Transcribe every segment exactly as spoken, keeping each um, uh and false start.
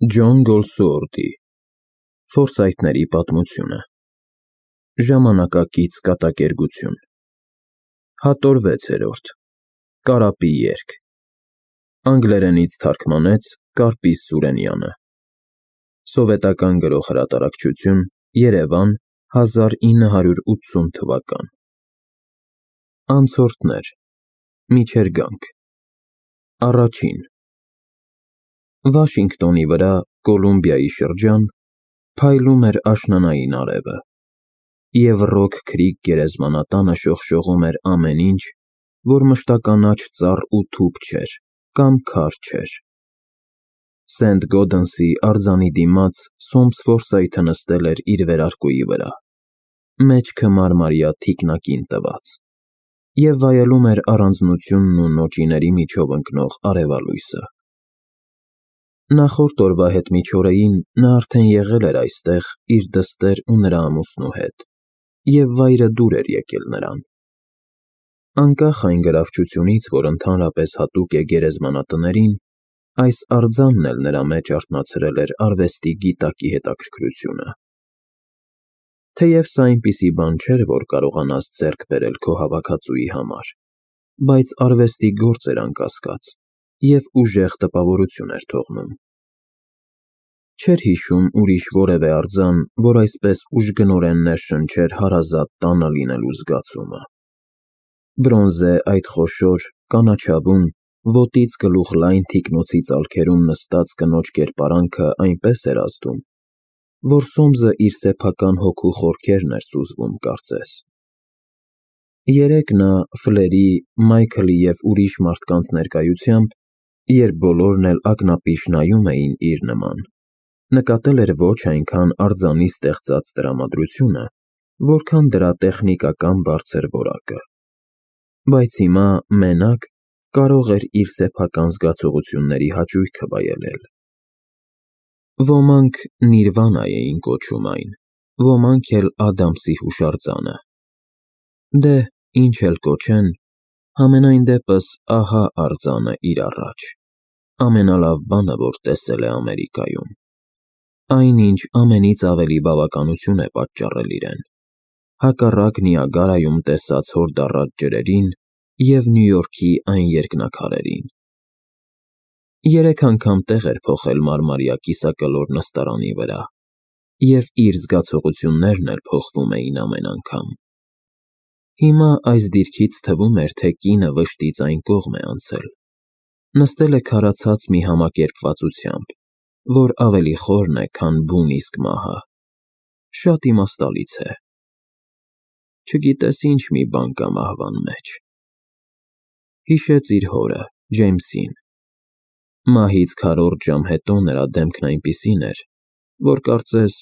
Ջոն Գոլսուորթի Ֆորսայթների պատմությունը Ժամանակակից կատակերգություն Հատոր վեցերորդ Կարապի երգ Անգլերենից թարգմանեց Կարպիս Սուրենյանը Սովետական գրող-հրատարակչություն Երևան հազար ինը հարյուր ութսուն թվական Անցորդներ Միջերգանք Առաջին Վաշինգտոնի վրա, Կոլումբիայի շրջան, փայլում էր աշնանային արևը, և Ռոք Քրիք գերեզմանատանը շողշողում էր ամեն ինչ, որ մշտականաչ ծառ ու թուփ չէր կամ քար չէր։ Սենթ Գոդենսի արձանի դիմաց Սոմս Ֆորսայթը նստել էր իր վերարկուի վրա, մեջքը մարմարյա թիկնակին տված, և վայելում էր առանձնությունն ու նոճիների միջով ընկնող արևալույսը։ Նախորդ օրվա հետմիջօրեին նա արդեն եղել էր այստեղ իր դստեր ու նրա ամուսնու հետ, և վայրը դուր էր եկել նրան։ Անկախ այն գրավչությունից, որ ընդհանրապես հատուկ է գերեզմանատներին, այս արձանն էլ նրա մեջ արթնացրել էր արվեստի գիտակի հետաքրքրությունը։ Թեև սա այնպիսի բան չէր, որ կարողանաս ձեռք բերել քո հավաքածուի համար, բայց արվեստի գործ էր անկասկած և ուժեղ տպավորություն էր թողնում։ Չէր հիշում ուրիշ որևէ արձան, որ այսպես ուժգնորեն ներշնչեր հարազատ տանը լինելու զգացումը։ Բրոնզե այդ խոշոր, կանաչավուն, ոտից գլուխ լայն թիկնոցի ծալքերում նստած կնոջ կերպարանքը այնպես էր ազդում, որ Սոմսը իր սեփական հոգու խորքերն էր սուզվում կարծես։ Երեկ նա Ֆլերի, Մայքլի և ուրիշ մարդկանց ներկայությամբ, երբ բոլորն էլ ակնապիշ նայում էին իր նման, նկատել էր ոչ այնքան արձանի ստեղծած տրամադրությունը, որքան դրա տեխնիկական բարձր որակը, բայց հիմա, մենակ, կարող էր իր սեփական զգացողությունների հաճույքը վայելել։ Ոմանք Նիրվանա էին կոչում այն, ոմանք էլ Ադամսի հուշարձանը։ Դե, ինչ էլ կոչեն, համենայն դեպս ահա արձանը իր առաջ, ամենալավ բանը, որ տեսել է Ամերիկայում, այն, ինչ ամենից ավելի բավականություն է պատճառել իրեն, հակառակ Նիագարայում տեսած հորդառատ ջրերին և Նյու Յորքի այն երկնաքարերին։ Երեք անգամ տեղ էր փոխել մարմարյա կիսակլոր նստարանի վրա, և իր զգացողություններն էլ փոխվում էին ամեն անգամ։ Հիմա այս դիրքից թվում էր, թե կինը վշտից այն կողմ է անցել, նստել է քարացած մի համակերպվածությամբ, որ ավելի խորն է, քան բուն իսկ մահը, շատ իմաստալից է։ Չգիտես ինչ մի բան կա մահվան մեջ։ Հիշեց իր հորը, Ջեյմսին։ Մահից քառորդ ժամ հետո նրա դեմքն այնպիսին էր, որ կարծես,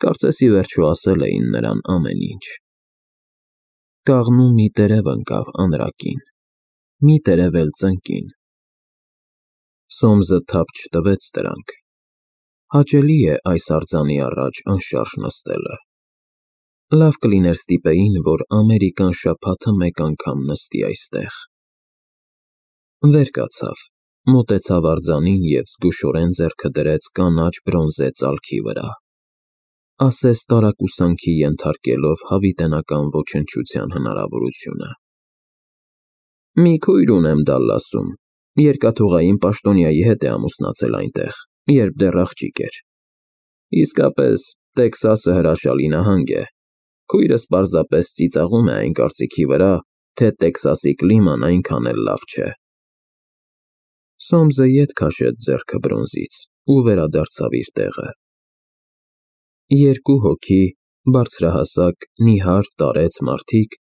կարծես ի վերջո ասել էին նրան ամեն ինչ։ Կաղնու մի տերև ընկավ անրակին, մի տերև էլ ծնկին։ Սոմսը թափ չտվեց դրանք։ Հաճելի է այս արձանի առաջ անշարժ նստելը։ Լավ կլիներ ստիպեին, որ Ամերիկան շաբաթը մեկ անգամ նստի այստեղ։ Վեր կացավ, մոտեցավ արձանին և զգուշորեն ձեռքը դրեց կանաչ բրոնզե ծալքի վրա, ասես տարակուսանքի ենթարկելով հավիտենական ոչնչության հնարավորությունը։ Մի քույր ունեմ Դալլասում, երկաթուղային պաշտոնյայի հետ է ամուսնացել այնտեղ, երբ դեռ աղջիկ էր։ Իսկապես, Տեքսասը հրաշալի նահանգ է։ Քույրս պարզապես ծիծաղում է այն կարծիքի վրա, թե Տեքսասի կլիման այնքան էլ լավ չէ։ Սոմսը ետ քաշեց ձեռքը բրոնզից ու վերադարձավ իր տեղը։ Երկու հոգի, բարձրահասակ, նիհար, տարեց մարդիկ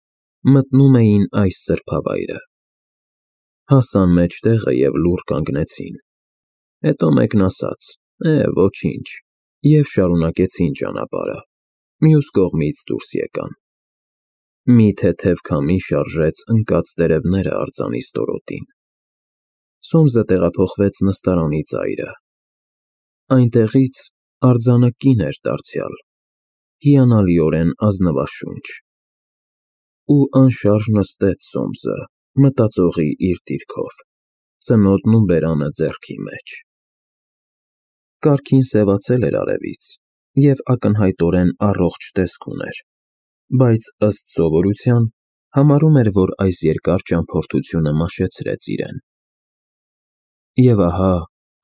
մտնում էին այս սրբավայրը։ Հասան մեջտեղը և լուռ կանգնեցին։ Հետո մեկն ասաց. «Է, ոչինչ», և շարունակեցին ճանապարհը, մյուս կողմից դուրս եկան։ Մի թեթև քամի շարժեց ընկած տերևները արձանի ստորոտին։ Սոմսը տեղափոխվեց նստարանի ծայրը։ Այնտեղից արձանը կին էր դարձյալ, հիանալիորեն ազնվաշունչ։ Ու անշարժ նստեց Սոմսը, մտածողի իր դիրքով, ծնոտն ու բերանը ձեռքի մեջ։ Կարգին սևացել էր արևից և ակնհայտորեն առողջ տեսք ուներ, բայց ըստ սովորության համարում էր, որ այս երկար ճամփորդությունը մաշեցրեց իրեն։ Եվ ահա,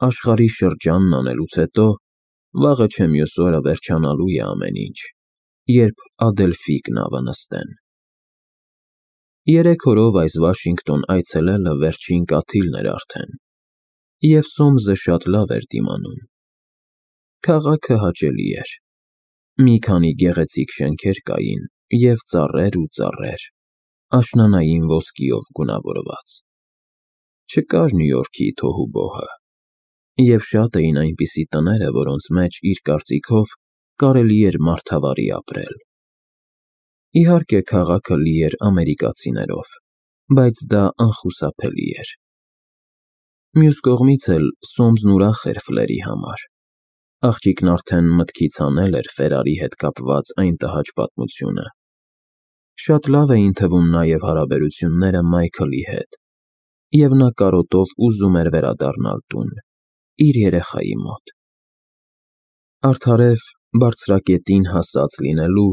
աշխարհի շրջանն անելուց հետո, վաղը չէ մյուս օրը վերջանալու է ամեն ինչ, երբ Ադելֆի կնավը նստեն։ Երեք օրով այս Վաշինգտոն այցելելը վերջին կաթիլն էր արդեն, և Սոմսը շատ լավ էր դիմանում։ Քաղաքը հաճելի էր։ Մի քանի գեղեցիկ շենքեր կային և ծառեր ու ծառեր, աշնանային ոսկիով գունավորված։ Չկար Նյու Յորքի թոհուբոհը, և շատ էին այնպիսի տները, որոնց մեջ, իր կարծիքով, կարելի էր մարդավարի ապրել։ Իհարկե, քաղաքը լի էր ամերիկացիներով, բայց դա անխուսափելի էր։ Մյուս կողմից էլ Սոմսն ուրախ էր Ֆլերի համար։ Աղջիկն արդեն մտքից հանել էր Ֆերարի հետ կապված այն տհաճ պատմությունը։ Շատ լավ էին թվում նաև հարաբերությունները Մայքլի հետ, և նա կարոտով ուզում էր վերադառնալ տուն, իր երեխայի մոտ։ Արդարև, բարձրակետին հասած լինելու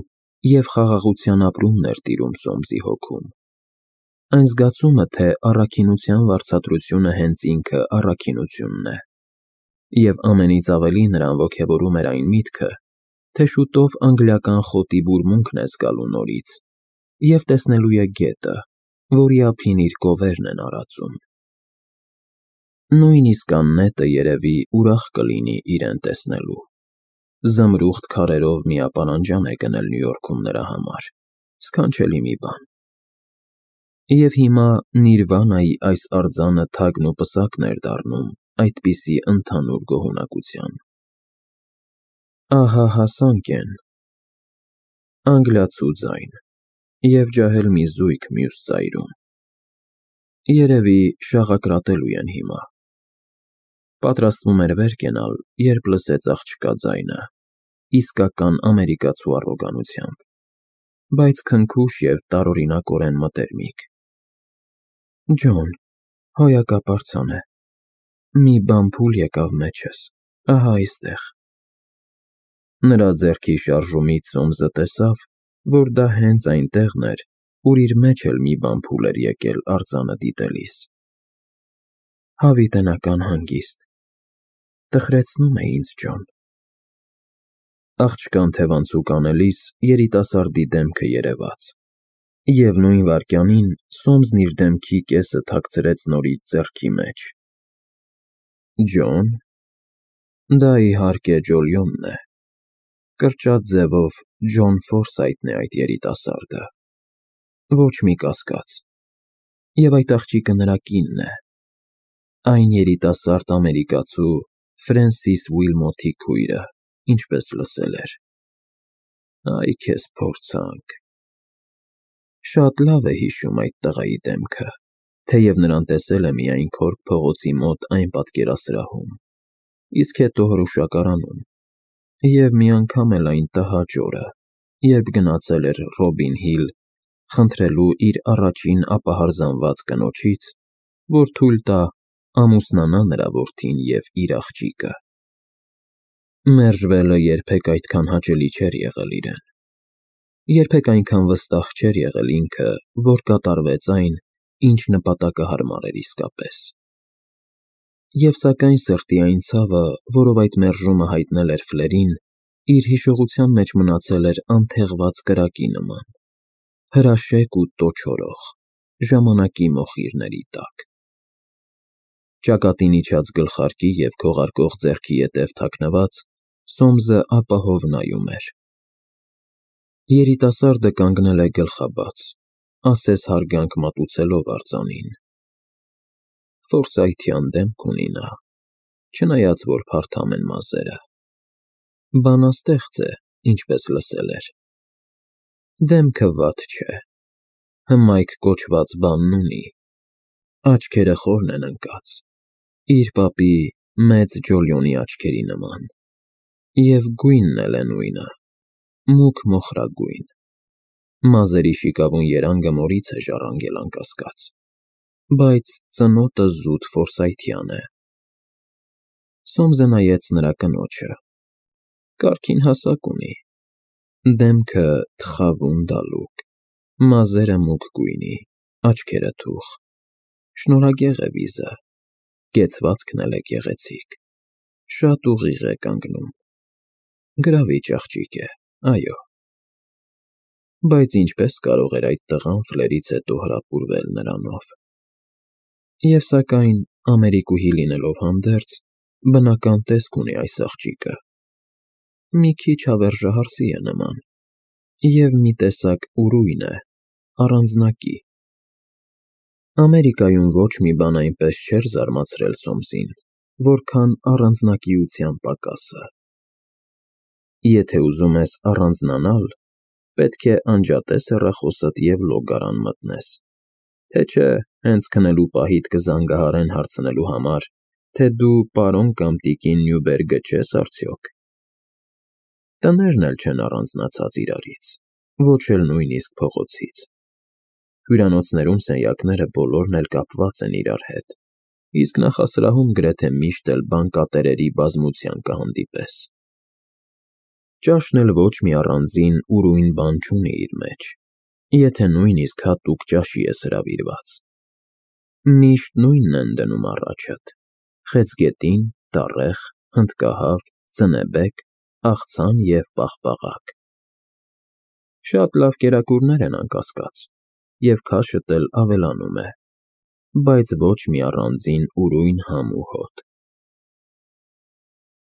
և խաղաղության ապրումն էր տիրում Սոմսի հոգում։ Այն զգացումը, թե առաքինության վարձատրությունը հենց ինքը առաքինությունն է։ Եվ ամենից ավելի նրան ոգևորում էր այն միտքը, թե շուտով անգլիական խոտի բուրմունքն է զգալու նորից և տեսնելու է գետը, որի ափին իր կովերն են արածում։ Նույնիսկ աննետը, երևի, ուրախ կլինի իրեն տեսնելու։ Զմրուխտ քարերով միապարանջան է գնել Նյու Յորքում նրա համար, սքանչելի մի բան։ Եվ հիմա Նիրվանայի այս արձանը թագն ու պսակն էր դառնում այդպիսի ընդհանուր գոհունակության։ Ահա հասանք են։ Անգլիացու ձայն և ջահել մի զույգ մյուս ծայրում։ Երևի շաղակրատելու են հիմա։ Պատրաստվում էր վեր կենալ, երբ լսեց աղջկա ձայնը, իսկական ամերիկացու առոգանությամբ, բայց քնքուշ և տարօրինակորեն մտերմիկ։ Ջոն, հոյակապարծան է։ Մի բան փուլ եկավ մեջս, ահա այստեղ։ Նրա ձեռքի շարժումից Սոմսը տեսավ, որ դա հենց այն տեղն էր, ուր իր մեջ էլ մի բան փուլ էր եկել արձանը դիտելիս։ Հավիտենական հանգիստ։ Տխրեցնում է ինձ, Ջոն։ Աղջկան թևանցուկ անելիս երիտասարդի դեմքը երևաց, և նույն վայրկյանին Սոմսն իր դեմքի կեսը թաքցրեց նորից ձեռքի մեջ։ Ջո՞ն։ Դա, իհարկե, Ջոլիոնն է։ Կրճատ ձևով Ջոն Ֆորսայթն է այդ երիտասարդը։ Ոչ մի կասկած։ Եվ այդ աղջիկը նրա կինն է։ Այն երիտասարդ ամերիկացու Ֆրենսիս Ուիլմոթի քույրը, ինչպես լսել էր։ Այ քեզ փորձանք։ Շատ լավ է հիշում այդ տղայի դեմքը, թեև նրան տեսել է միայն Քորք փողոցի մոտ այն պատկերասրահում, իսկ հետո հրուշակարանում, և մի անգամ էլ այն տհաճ օրը, երբ գնացել էր Ռոբին Հիլ խնդրելու իր առաջին ապահարզանված կնոջից, որ թույլ տա ամուսնանա նրա որդին և իր աղջիկը։ Մերժվելը երբեք այդքան հաճելի չէր եղել իրեն։ Երբեք այնքան վստահ չէր եղել ինքը, որ կատարվեց այն, ինչ նպատակահարմար էր իսկապես։ Եվ սակայն սրտի այն ցավը, որով այդ մերժումը հայտնել էր Ֆլերին, իր հիշողության մեջ մնացել էր անթեղված կրակի նման, հրաշեկ ու տոչորող, ժամանակի մոխիրների տակ։ Ճակատին իջած գլխարկի և քողարկող ձեռքի ետև թաքնված, Սոմսը ապահով նայում էր։ Երիտասարդը կանգնել է գլխաբաց, ասես հարգանք մատուցելով արձանին։ Ֆորսայթյան դեմք ունի նա, չնայած որ փարթամ են մազերը։ Բանաստեղծ է, ինչպես լսել էր։ Դեմքը վատ չէ, հմայք կոչված բանն ունի, աչքերը խորն են ընկած, իր պապի մեծ Ջոլիոնի աչքերի նման, և գույնն էլ է նույնը, մուգ մոխրագույն։ Մազերի շիկավուն երանգը մորից է ժառանգել անկասկած, բայց ծնոտը զուտ ֆորսայթյան է։ Սոմսը նայեց նրա կնոջը։ Կարգին հասակ ունի, դեմքը թխավուն դալուկ, մազերը մուգ գույնի, աչքերը թուխ, շնորհագեղ է վիզը, կեցվածքն էլ է գեղեցիկ, շատ ուղիղ է կանգնում, գրավիչ աղջիկ է, այո։ Բայց ինչպես կարող էր այդ տղան ֆլերից հետո հրապուրվել նրանով։ Եվ սակայն, ամերիկուհի լինելով հանդերձ, բնական տեսք ունի այս աղջիկը, մի քիչ հավերժահարսի է նման, և մի տեսակ ուրույն է, առանձնակի։ Ամերիկայում ոչ մի բան այնպես չէր զարմացրել Սոմսին, որքան առանձնակիության պակասը։ Եթե ուզում ես առանձնանալ, պետք է անջատես հեռախոսդ և լոգարան մտնես, թե չէ հենց քնելու պահիդ կզանգահարեն հարցնելու համար, թե դու պարոն կամ տիկին Նյուբերգը չես արդյոք։ Տներն էլ չեն առանձնացած իրարից, ոչ էլ նույնիսկ փողոցից։ Հյուրանոցներում սենյակները բոլորն էլ կապված են իրար հետ, իսկ նախասրահում գրեթե միշտ էլ բանկատերերի բազմության կհանդիպես։ Ճաշն էլ ոչ մի առանձին ուրույն բան չունի իր մեջ, եթե նույնիսկ հատուկ ճաշի ես հրավիրված։ Միշտ նույնն են դնում առաջդ՝ խեցգետին, տառեխ, հնդկահավ, ցնեբեք, աղցան և պաղպաղակ։ Շատ լավ կերակուրներ են անկասկած, և քաշդ էլ ավելանում է, բայց ոչ մի առանձին ուրույն համ ու հոտ։